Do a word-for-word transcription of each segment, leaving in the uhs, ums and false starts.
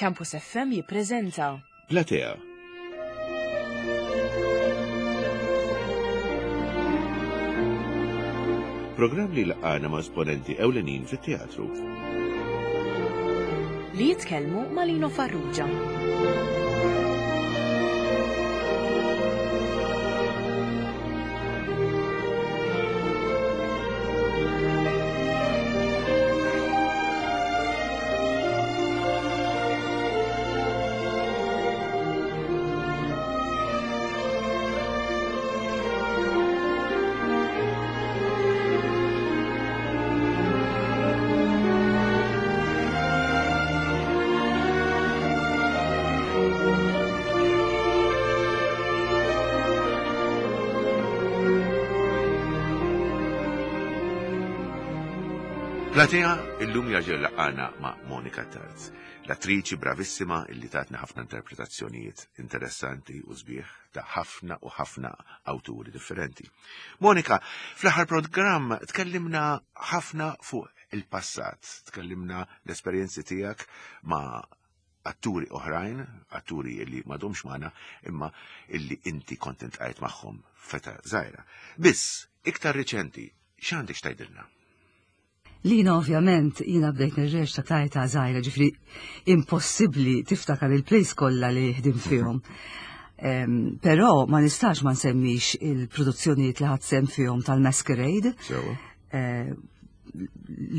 Campus F M jippreżenta Platea. Programm li laqana ma' esponenti ewlenin fit-teatru. Li jitkellmu ma' Lino Farrugia. Platea illum jerġa' laqana ma' Monica Tarz, l-attriċi bravissima illi tatna ħafna interpretazzjonijiet interessanti u sbieħ ta' ħafna u ħafna awturi differenti. Monika, fl-aħħar programm tkellimna ħafna fuq il-passat, tkellimna l-esperjenzi tiegħek ma' atturi oħrajn, atturi illi m'għadhomx magħna, imma illi inti kont iltqajt magħhom f'età żgħira. Biss, iktar riċenti, x'għandek x'tgħidilna? Lina, ovvjament, jina bdejt nirreċta ta' età żgħira, ġifieri impossibbli tiftakar il-plays kollha li ħdimt fihom. Em, Però ma nistax ma nsemmix il-produzzjonijiet li ħadt sehem fihom tal-Masquerade, Sewa. eh,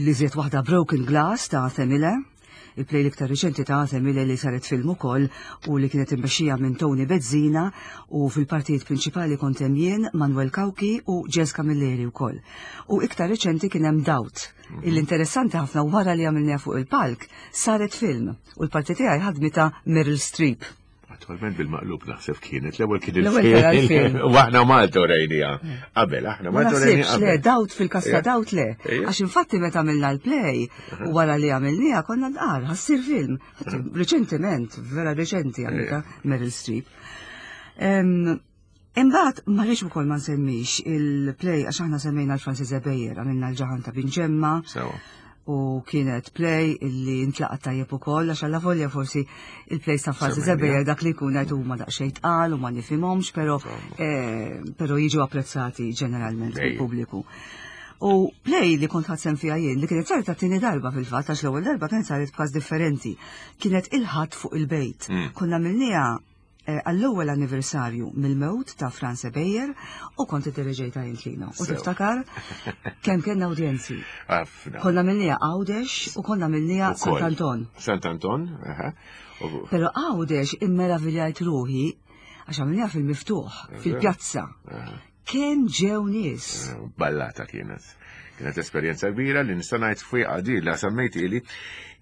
li żiet waħda Broken Glass ta' Arthur Miller, il-play l-iktar riċenti ta' Arthur Miller li saret film ukoll u li kienet immexxija minn Tony Bezzina u fil-partijiet prinċipali kont hemm jien, Manuel Cauchi u Jess Camilleri wkoll. U iktar riċenti kien hemm Doubt. Il-interessanti ħafna, wara li għamilniha fuq il-palk, saret film u l-parti tiegħi ħadmitha Meryl Streep. Attualment bil-maqlub naħseb kienet, l-ewwel kien L-ewwel kien il-film. U aħna Malta rajnieha. Qabel, aħna Ma Malta rajnieha naħsibx, le, qabel. Doubt fil-każ ta' Ija. Doubt le. Ija. Għax infatti meta għamilna l-play, u wara li għamilniha konna nqar, ħa ssir film. Reċentement, vera reċenti għamilta Meryl Streep. Em, Imbagħad ma rridx ukoll ma nsemmix il-play, għax aħna semmejna l-Francis Ebejer, għamilna l-Ġaħan ta' Binġemma Sewa. u kienet play illi intlaqat tajjeb ukoll, għax alla volja forsi il-play ta' Francis Semmejna. Ebejer dak li jkun qed huma daqsxejn tqal u ma nifhimhomx, però eh, però jiġu apprezzati ġeneralment Ejja. mill-pubbliku. U play li kont ħadt sehem fiha jien, li kienet saret għat-tieni darba fil-fatt, għax l-ewwel darba kienet saret b'każ differenti, kienet Il-Ħadd fuq il-Bejt. Mm. Konna għamilnieha eh, għall-ewwel anniversarju mill-mewt ta' Franz Ebejer u kont iddereġejtha jien, Lino. U Sew. tiftakar kemm kellna udjenzi? Ħafna. Konna għamilnieha Għawdex u konna għamilnieha Ukoll. Sant'Anton. Sant'Anton, aha. U- Però Għawdex immeraviljajt ruħi għax għamilnieha fil-miftuħ, fil-pjazza. Aha. Kemm ġew nies. Ballata kienet. Kienet esperjenza kbira li nista' ngħid fuq għadi la semmejt ili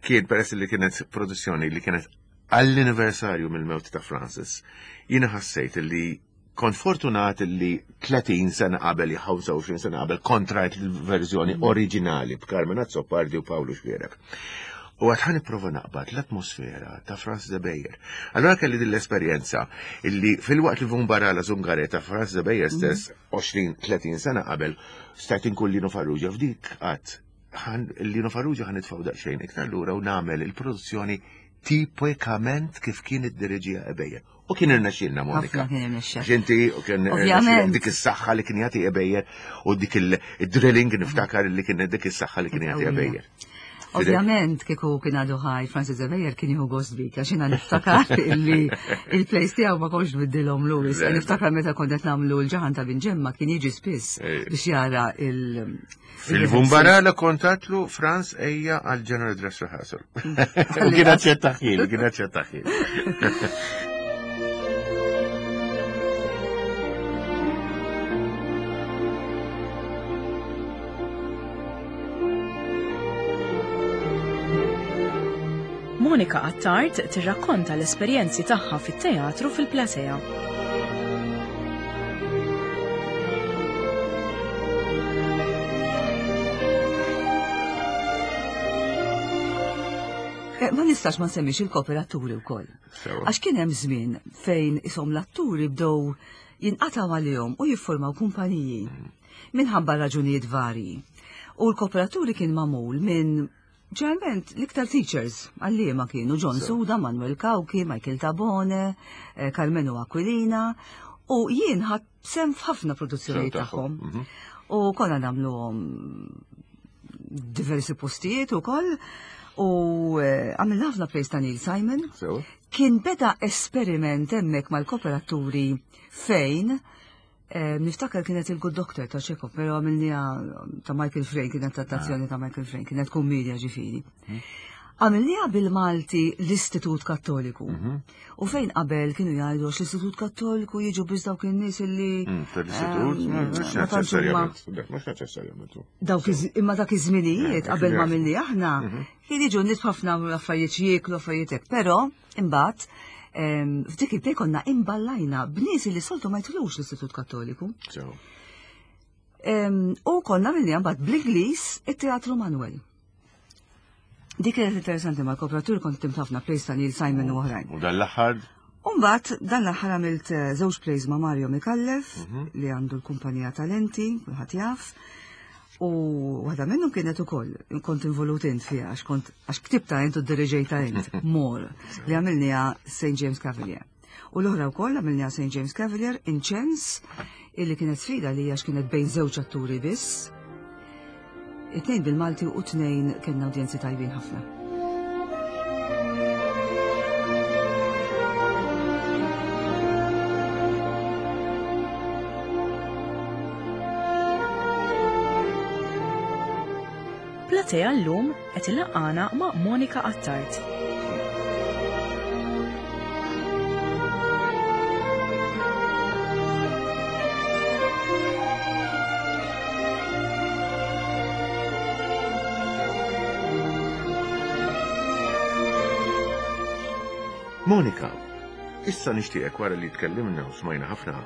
kien peress li kienet produzzjoni li kienet għall-anniversarju mill-mewt ta' Francis. Jiena ħassejt li kont fortunat li tletin sena qabel, ħamsa u għoxrin sena qabel, kont rajt il-verżjoni oriġinali b'Carmen Azzopardi u Pawlu Xuereb. U għedt ħa nipprova naqbad l-atmosfera ta' Francis Ebejer. Allora kelli din l-esperjenza illi fil-waqt li Vumbarala Zungare ta' Francis Ebejer stess għoxrin tletin sena qabel stajt inkun Lino Farrugia f'dik, għedt Lino Farrugia ħa nitfgħu daqsxejn iktar lura u nagħmel il-produzzjoni tipikament kif kien id-diriġija Ebejer. U kien irnexxielna, Monika. Ħafna kien irnexxa. Ġenti, u kien Ovvjament. dik is-saħħa li kien jagħti Ebejer u dik il-drilling, niftakar li kien dik is-saħħa li kien jagħti Qawwija. Ebejer. Ovvjament, kieku kien għadu ħaj Francis Ebejer kien jieħu gost bik, għax jiena niftakar illi il-plays tiegħu ma kontx nbiddilhom Lewis. Le. Niftakar meta kont qed nagħmlu l-Ġaħan ta' Binġemma kien jiġi spiss Ej. biex jara il- Fil-Vumbarala kont għedtlu, "Franz, ejja għal general dress rehearsal." U kien aċċettahieli, kien aċċettahieli. Monika Attard tirrakkonta l-esperjenzi tagħha fit-teatru fil-Platea. Eh, Ma nistax ma nsemmix il-kooperaturi wkoll. Sewa. Għax kien hemm żmien fejn isom l-atturi bdew jinqataw għalihom u jiffurmaw kumpaniji minħabba raġunijiet varji. U l-kooperaturi kien magħmul minn Ġeneralment, l-iktar teachers għalliema kienu John Suda, Manuel Cauchi, Michael Tabone, eh, Carmenu Aquilina, u jien ħadt sehem f'ħafna produzzjonijiet tagħhom. Mhm. U konna nagħmluhom diversi postijiet ukoll. U eh, għamilna ħafna plays ta' Neil Simon. Kien beda esperiment hemmhekk mal-kooperaturi fejn eh, niftakar kienet il-Good Doctor ta' Chekhov, pero għamilniha ta' Michael Frayn, kienet adattazzjoni ta' Michael Frayn, kienet kummedja ġifieri. Mhm. Għamilniha bil-Malti l-Istitut Kattoliku. Mhm. U fejn qabel kienu jgħidu għax l-Istitut Kattoliku jiġu biss dawk in-nies illi. Mm, Tal-istitut, ehm, mhux ma tantx huma- neċessarjament. Mhux neċessarjament. Dawk iż- imma dak iż-żminijiet Eh, qabel ma kien milli aħna Mhm. kien jiġu nies ħafna affarijiet jieklu affarijiet hekk, però imbagħad ehm, f'dik il-play konna imballajna b'nies li soltu ma jidħlux l-Istitut Kattoliku. So, Ehm, U konna milli mbagħad bl-Ingliż it-Teatru Manuel. Dik kienet interessanti mal-kooperatur kont ħdimt ħafna plays ta' Neil Simon u oħrajn. U dan l-aħħar Umbagħad, dan l-aħħar għamilt eh, żewġ plays ma' Mario Micallef, Mhm. li għandu l-kumpanija Talenti, kulħadd jaf. U waħda minnhom kienet ukoll, kont involut int fiha, għax kont għax ktibta int u diriġejta int, More, li għamilniha Saint James Cavalier. U l-oħra wkoll għamilniha Saint James Cavalier, Inċens, illi kienet sfida li għax kienet bejn żewġ atturi biss. It-tnejn bil-Malti u tnejn kellna udjenzi tajbin ħafna. Platea llum qed ilaqqana ma' Monica Attard. Monika, issa nixtieqek wara li tkellimna u smajna ħafna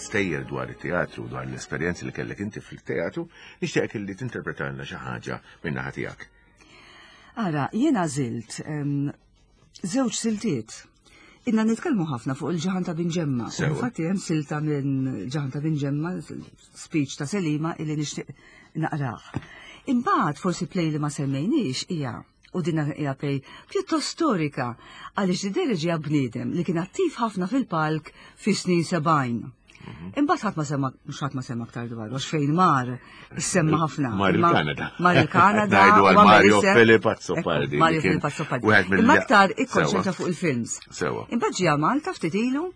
stejjer dwar it-teatru, dwar l-esperjenzi li kellek inti fil-teatru, nixtieqek li tinterpretalna xi ħaġa minn naħa tiegħek. Ara, jiena għażilt em, żewġ siltiet. Inna nitkellmu ħafna fuq il-Ġaħan ta' Binġemma. U Sewa. Infatti hemm silta minn Ġaħan ta' Binġemma, speech ta' Selima illi nixtieq naqrah. Imbagħad forsi play li ma semmejniex hija u din hija play pjuttost storika għaliex dideriġi bniedem li kien attiv ħafna fil-palk fis-snin sebgħin. Imbagħad ħadd ma semma mhux ħadd ma semma aktar dwar għax fejn mar semma ħafna. Mar Imma- il-Kanada. Mar il-Kanada. Ngħidu u għal għamel Mario isem- Philip Azzopardi. Ekku, Mario li kien Philip Azzopardi. wieħed mill- Imma aktar ikkonċentra Sewa. fuq il-films. Sewa. Imbagħad ġie Malta ftit ilu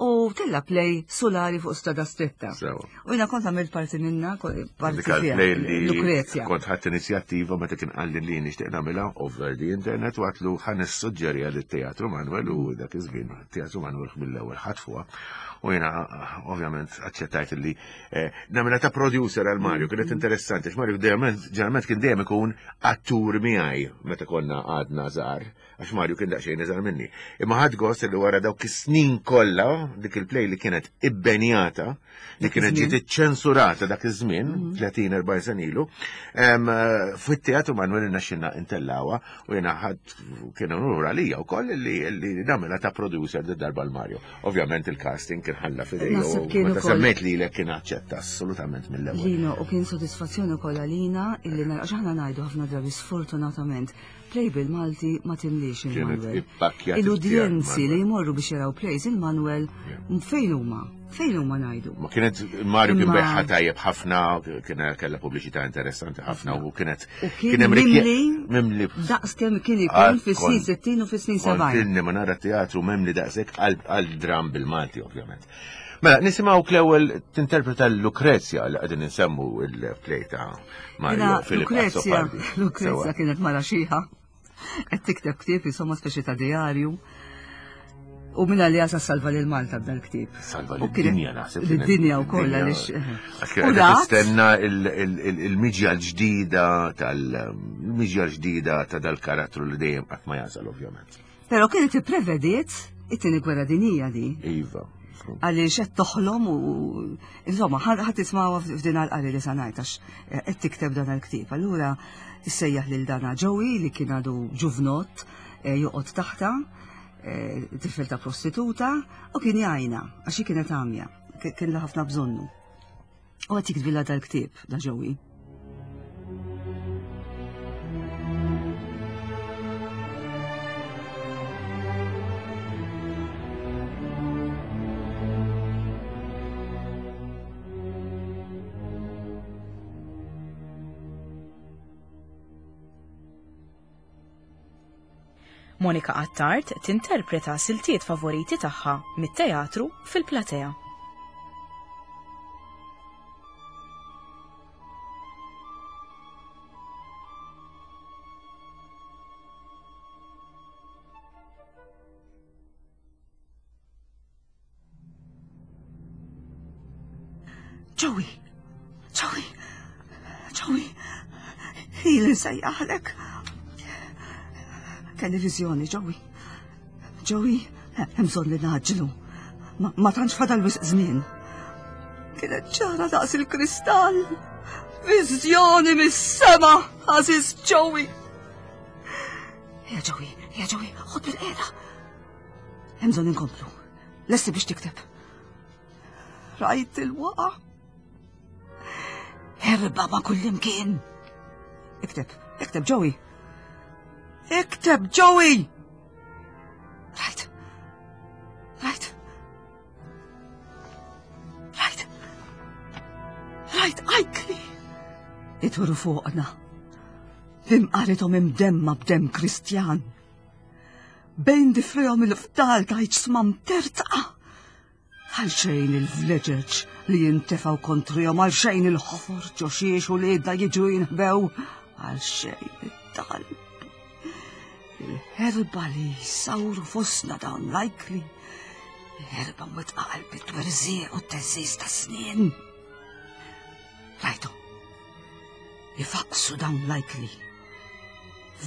u tella play Solari fuq Strada Stretta. Sewa. U jiena kont għamilt parti minna, ko- parti Dik fiha, play li Lucrezia. Kont ħadd inizjattiva meta kien qalli li nixtieq nagħmilha over the internet u għatlu ħa nissuġġerija lit-Teatru Manuel u dak iż-żmien Teatru Manuel mill-ewwel ħatfuha. U jiena ovvjament aċċettajt li eh, nagħmilha ta' producer għal Mario, kienet interessanti għax Mario dejjem ġeneralment kien dejjem ikun attur miegħi meta konna għadna żgħar, għax Mario kien daqsxejn iżgħar minni. Imma ħadt gost li wara dawk is-snin kollha dik il-play li kienet ibbenjata, li Dak kienet iż-żmien. ġiet iċċensurata dak iż-żmien, tletin erba' sena ilu, em, eh, fit-teatru Manuel irnexxielna ntellgħuha u jiena ħadd kien unur għalija wkoll li li nagħmilha ta' producer darba l-Mario. Ovvjament il-casting kien ħalla f'idejja Naħseb u kien meta ukoll- semmejt lilek kien aċċetta assolutament mill-ewwel. Lino, u kien sodisfazzjoni ukoll għalina illi nara għax aħna ngħidu ħafna drabi sfortunatament play bil-Malti ma timlix Kienet il-Manuel. ippakkjat Il-udjenzi il-Manuel. li jmorru biex jaraw plays il-Manuel fejn huma? Fejn huma ngħidu? Ma kienet Mario kien Imma- beħħa tajjeb ħafna, kien kella pubbliċità interessanti ħafna u kienet U kien hemm rikje- mimli mimli daqs kemm kien Ah, ikun fis-snin kont- sittin u fis-snin Kont sebgħin. ilni ma nara teatru mimli daqshekk għal għal dram bil-Malti ovvjament. Mela, nisimgħu l-ewwel tinterpreta l-Lucrezia li qegħdin insemmu il-play ta' Mario Jiena Philip Lucrezia, Azzopardi. Lucrezia Sewa. kienet mara xiħa, qed tikteb ktieb insomma speċi ta' diarju. U minna li għasa salva lil Malta b'dal ktieb. Salva U kienet- lid-dinja naħseb. kienet Lid-dinja u koll lid-dinja. għaliex. Għax U kienet rat, tistenna il- il- il- il-miġja l-ġdida tal-miġja l-ġdida ta' dal-karattru li dejjem qatt ma jasal ovvjament. Però kienet ipprevediet it-tieni gwerra dinija di. Iva. Għaliex qed toħlom u insomma ħadd tismawha f'din għal-qari li sa ngħid għax qed tikteb dan il-ktieb. Allura issejjaħ lil dana Joey li kien għadu ġuvnott eh, joqgħod taħta, eh, tifel ta' prostituta u kien jgħajna għax hi kienet għamja, kien la ħafna bżonnu. U qed jiktbilha dal-ktieb da Joey. Monica Attard tinterpreta siltiet favoriti tagħha mit-teatru fil-platea. Joey! Joey! Joey! Ili nsejjaħlek. Kelli viżjoni, Joey. Joey, hemm bżonn li naġlu. Ma, ma tantx fadal wisq żmien. Kienet ċara daqs il-kristall. Viżjoni mis-sema, għażiż Joey. Ja Joey, ja Joey, ħod bil-qiegħda. Hemm bżonn inkomplu. Lesti biex tikteb. Rajt il-waqa. Herba ma' kullimkien. Ikteb, ikteb, Joey. Ikteb, Joey! Rajt. Rajt. Rajt. Rajt, ajkli. Ituru fuqna. Bimqarithom imdemma b'dem Kristjan. Bejn difrejhom il-fdal ta' iġsma mtertqa. Għalxejn il-vleġeġ li jintefaw kontrihom, għalxejn il-ħofor ġo xiex u l-idda jiġu jinħbew, għalxejn it-talb. Il-ħerba li jsawru fostna dawn l-ajkli, il-ħerba mwettqa qalb it-twerżieq u t-teżżiż tas-snien. Rajtu, ifaqsu dawn l-ajkli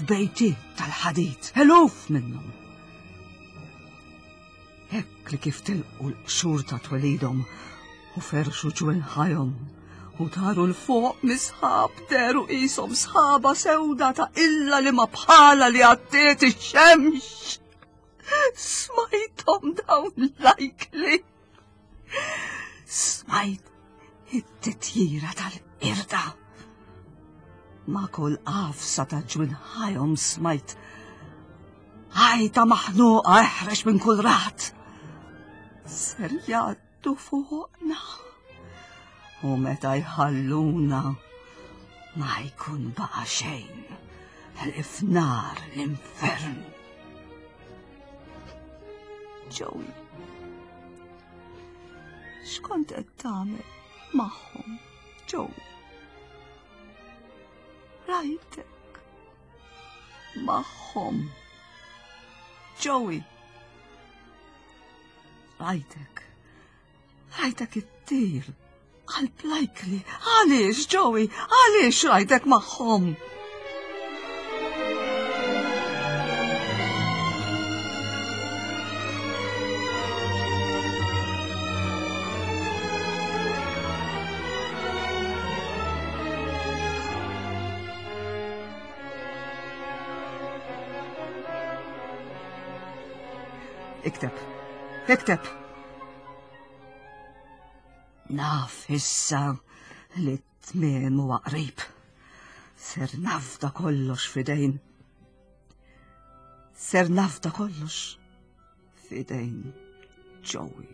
f'bejti tal-ħadid, eluf minnhom. Hekk li kif tilqu l-qxur ta' twelidhom u ferxu ġwenħajhom u taru l-fuq misħab deru qishom sħaba sewda ta' illa li ma bħala li għattiet ix-xemx. Smajthom dawn l-ajkli. Smajt it-titjira tal-qirda. Ma' kull qafsa ta' ġwinħajhom smajt għajta maħnuqa eħrex minn kull rat. Ser jgħaddu fuqna. U meta jħalluna ma jkun baqa xejn ħlief nar l-infern. Joey, x'kont qed tagħmel magħhom, Joey? Rajtek magħhom. Joey. Rajtek. Rajtek ittir. Qalb l-ajkli. Għaliex, Joey? Għaliex rajtek magħhom? Ikteb. Ikteb. Naf issa li t-tmiem huwa qrib. Ser nafda kollox f'idejn. Ser nafda kollox f'idejn Joey.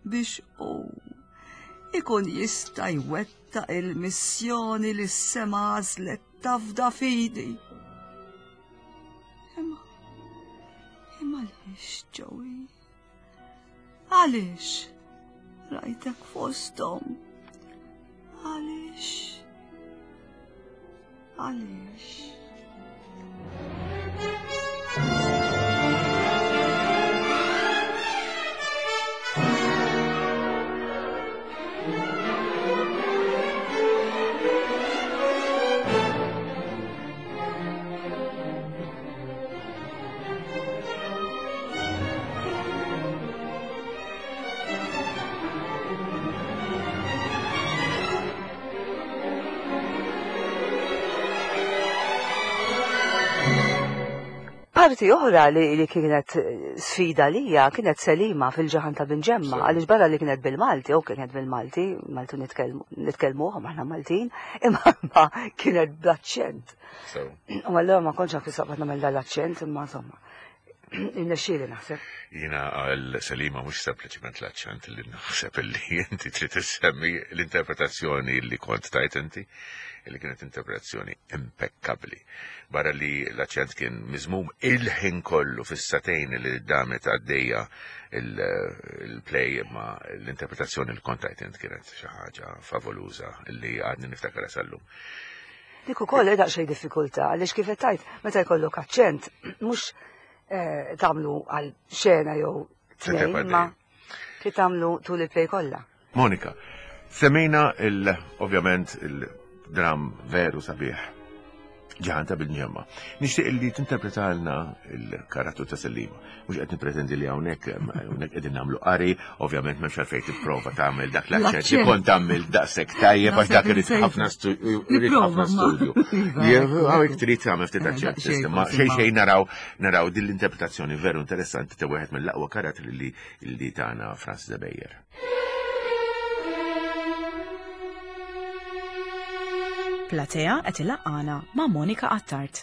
Biex hu ikun jista' jwettaq il-missjoni li s-sema għażlet tafda f'idi. Imma imma għaliex, Joey? Għaliex rajtek fosthom? Għaliex? Għaliex? Parti oħra li, li kienet sfida lija kienet Selima fil-ġaħan ta' Binġemma, għaliex barra li kienet bil-Malti, u kienet bil-Malti, Maltu nitkellmu, aħna Maltin, imma ma kienet bl-aċċent. U allura ma kontx naf kif nagħmel dal-aċċent, imma insomma. Irnexxieli naħseb. Jiena għal Selima mhux sempliċement l-aċċent li naħseb li inti trid issemmi l-interpretazzjoni li kont tajt inti, li kienet interpretazzjoni impeccabli. Barra li l-aċċent kien miżmum il-ħin kollu fis-sagħtejn li damet għaddejja il-play, ma l-interpretazzjoni li kont tajt inti kienet xi ħaġa favoluża li għadni niftakar sal-lum. Dik ukoll daqsxejn diffikultà għaliex kif qed tgħid, meta jkollok aċċent mhux eh, tagħmlu għal xena jew tnejn, ma trid tagħmlu tul il-play kollha. Monika, semmejna il ovvjament il-dram veru sabiħ Ġaħan ta' Bil-Ġemma. Nixtieq li tinterpretalna il-karattru ta' Selima. Mhux qed nippretendi li hawnhekk hawnhekk qegħdin nagħmlu qari, ovvjament m'hemmx għalfejn tipprova tagħmel dak l-aċċent li kont tagħmel daqshekk tajjeb għax dak irid ħafna ħafna studju. Hawnhekk trid tagħmel ftit aċċent. Ma xejn xejn naraw naraw din l-interpretazzjoni veru interessanti ta' wieħed mill-aqwa karattri li li tagħna Francis Ebejer. Platea qed ilaqqana ma' Monika Attard.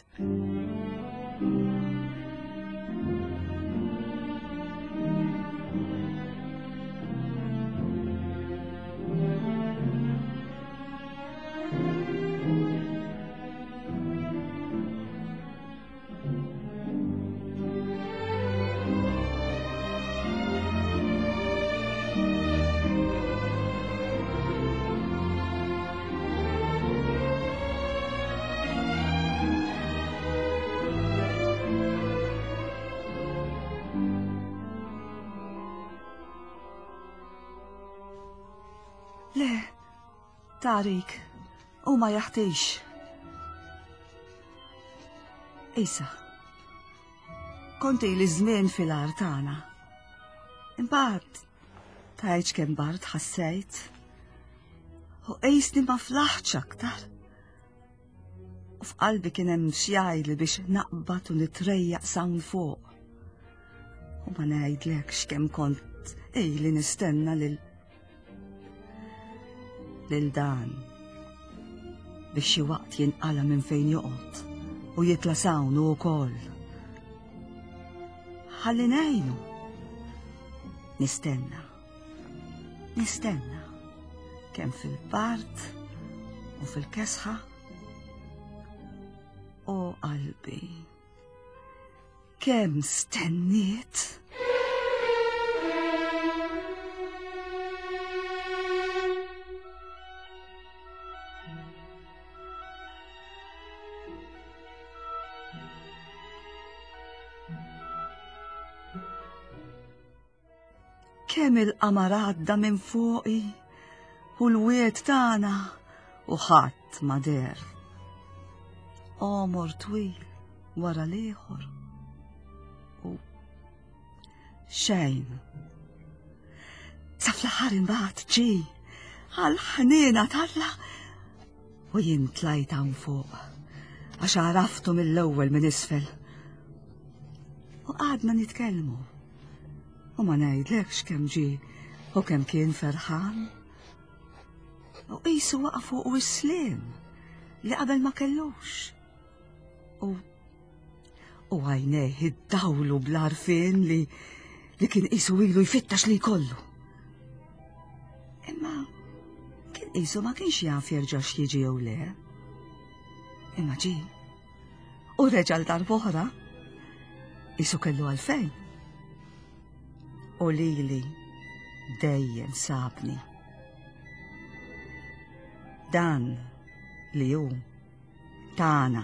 Le, Tarik, u ma jaħtix. Isa, konti li żmien fil-art tagħna. Imbagħad tgħidx kemm bard ħassejt. U qisni ma flaħtx aktar. U f'qalbi kien hemm xi biex naqbad u nitrejjaq s'hawn fuq. U ma ngħidlekx kemm kont ili nistenna lil lil dan biex xi waqt jinqala minn fejn joqgħod u jitla' s'hawn hu wkoll. Ħalli ngħinu. Nistenna. Nistenna. Kemm fil-bard u fil-kesħa. O qalbi. Kemm stenniet. Kemm il-qamar għadda minn fuqi u l-wied tagħna u ħadd ma deher. Għomor twil wara l-ieħor u xejn. Sa fl-aħħar imbagħad ġie għall-ħniena t'Alla u jien tlajt hawn fuq għax għaraftu mill-ewwel minn isfel. U qgħadna nitkellmu. U ma ngħidlekx kemm ġie u kemm kien ferħan. U qisu waqa' fuq is-sliem li qabel ma kellux. U u għajnejh iddawlu bl-għarfien li li kien qisu ilu jfittax li jkollu. Imma kien qisu ma kienx jaf jerġax jiġi jew le. Imma ġie. U reġa' l darb'oħra. Qisu kellu għalfejn. U lili dejjem sabni. Dan li hu tagħna.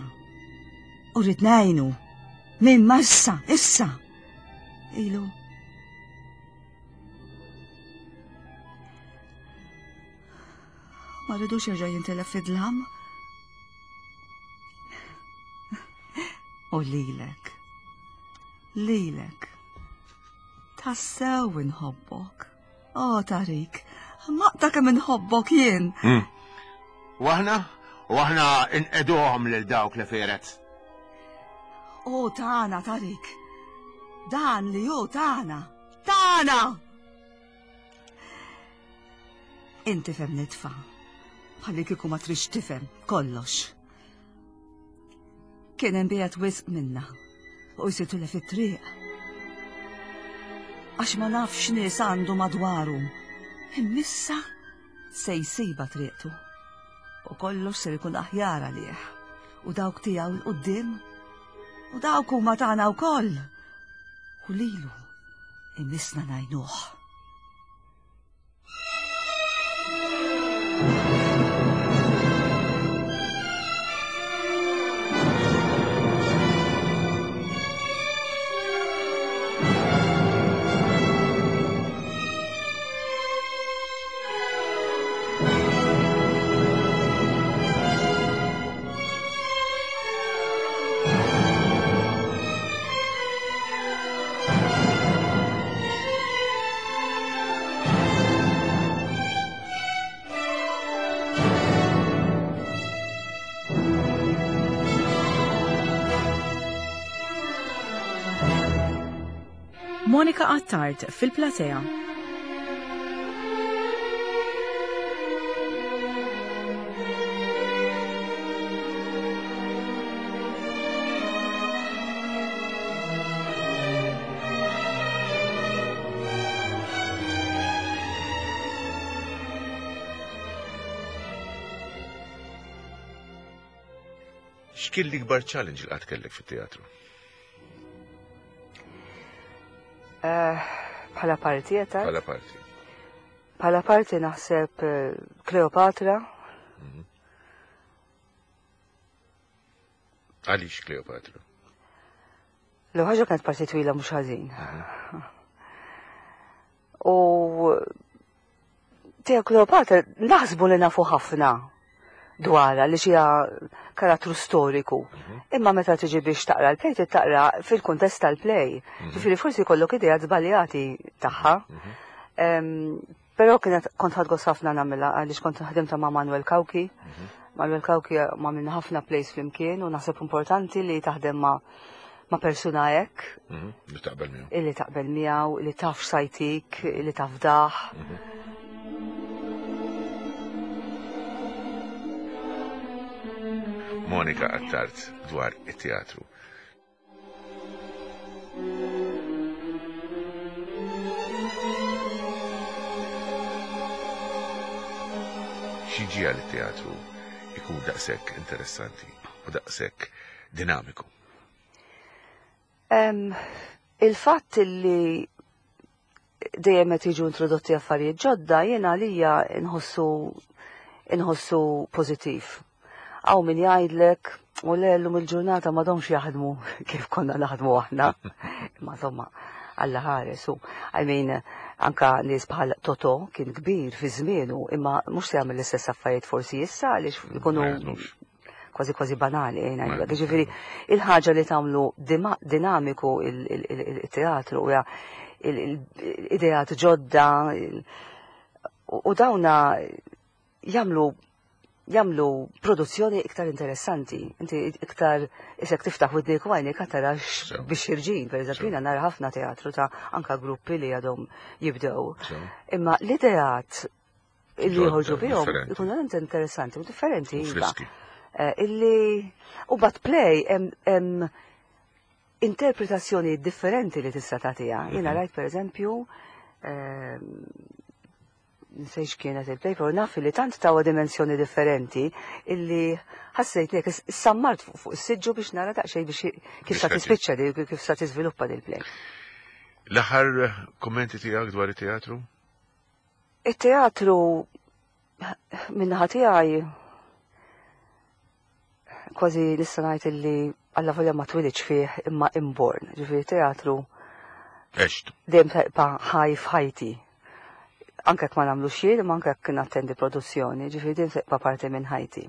U rrid ngħinu minn massa issa. Ilu. Ma rridux jerġa' jintilef fid-dlam. U lilek. Lilek. Tassew inħobbok. O, Tarik, maqta kemm inħobbok jien. U aħna? U aħna inqeduhom lil dawk li feret. O, tagħna, Tarik. Dan li hu tagħna. Tagħna! Inti fhem nitfa'. Bħalli kieku ma trix tifhem kollox. Kien hemm biegħed wisq minna u jsitu li fit-triq. għax ma nafx nies għandu madwaru. Immissa se jsibha triqtu. U kollox ser ikun aħjar għalih. U dawk tiegħu 'l quddiem u dawk huma tagħna wkoll. U lilu imissna ngħinuh. Monica Attard fil-platea. X'kien l-ikbar challenge li qatt kellek fit-teatru? Bħala parti, jeta? Bħala parti. Bħala parti naħseb Kleopatra. Għaliex Kleopatra? L-ħaġa kienet parti twila mhux ħażin. U tiegħu Kleopatra naħsbu li nafu ħafna dwarha li xija karattru storiku. Imma meta tiġi biex taqra l-play, taqra fil-kuntest tal-play. Ġifieri forsi jkollok idea żbaljati tagħha. Però kienet kont ħadgos ħafna nagħmilha għaliex kont ħdimta ma' Manuel Cauchi. Manuel Cauchi ma' minna ħafna plays flimkien u naħseb importanti li taħdem ma' ma' persuna hekk. Li taqbel miegħu. Illi taqbel miegħu, li taf x'sajtik, li taf daħ. Monica Attard dwar it-teatru. X'ġiegħel it-teatru ikun daqshekk interessanti u daqshekk dinamiku? Il-fatt li dejjem qed jiġu introdotti affarijiet ġodda jiena għalija nħossu inħossu pożittiv. Għaw min jgħidlek, u le l-lum il-ġurnata ma domx jaħdmu kif konna naħdmu aħna. Ma insomma, Alla ħares u, I mean, anka nies bħal Toto kien kbir fi żmienu, imma mhux se jagħmel l-istess affarijiet forsi issa għaliex ikunu kważi kważi banali, ngħidlek. Jiġifieri il-ħaġa li tagħmlu dinamiku il-teatru hija l-ideat ġodda u dawna jagħmlu jagħmlu produzzjoni iktar interessanti. Inti iktar isek tiftaħ widnik u għajnek tarax biex irġin, per eżempju, jiena nara ħafna teatru ta' anka gruppi li għadhom jibdew. Imma l-ideat illi joħorġu bihom ikunu verament interessanti u differenti. Illi u bat play hemm interpretazzjoni differenti li tista' tagħtiha. Jiena rajt per eżempju nsejx kienet il-play, pero naf li tant tawa dimensjoni differenti illi ħassejt li sammart fuq is-siġġu biex nara daqsxejn biex kif sa tispiċċa di, kif sa tiżviluppa dil play. L-aħħar kummenti tiegħek dwar it-teatru? It-teatru min-naħa tiegħi kważi nista' ngħid illi alla volja ma twilidx fih imma inborn. Ġifieri teatru dejjem tibqa' ħaj f'ħajti. Anke jekk ma nagħmlu xejn, imma anke jekk nattendi produzzjoni, ġifieri din tibqa' parti minn ħajti.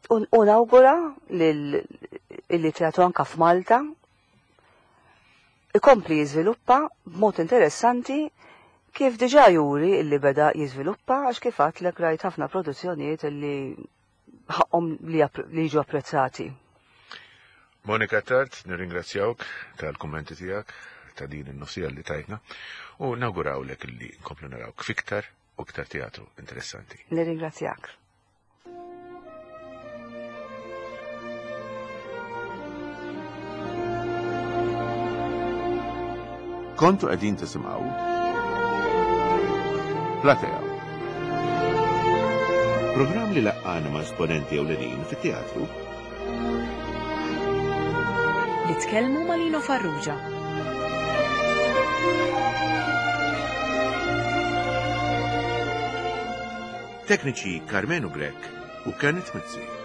U nawgura li teatru anke f'Malta ikompli jiżviluppa b'mod interessanti kif diġà juri illi beda jiżviluppa għax kif għadlek rajt ħafna produzzjonijiet illi ħaqhom li jiġu apprezzati. Monica Attard, nirringrazzjawk tal-kummenti tiegħek ta' din in-nofsija li tajtna u nawgurawlek li nkomplu narawk fiktar u iktar teatru interessanti. Nirringrazzjak. Kontu qegħdin tisimgħu Platea. Programm li laqqana ma' esponenti ewlenin fit-teatru Li tkellmu ma' Lino Farrugia. Tekniċi Karmenu Grech u Kenneth Mizzi.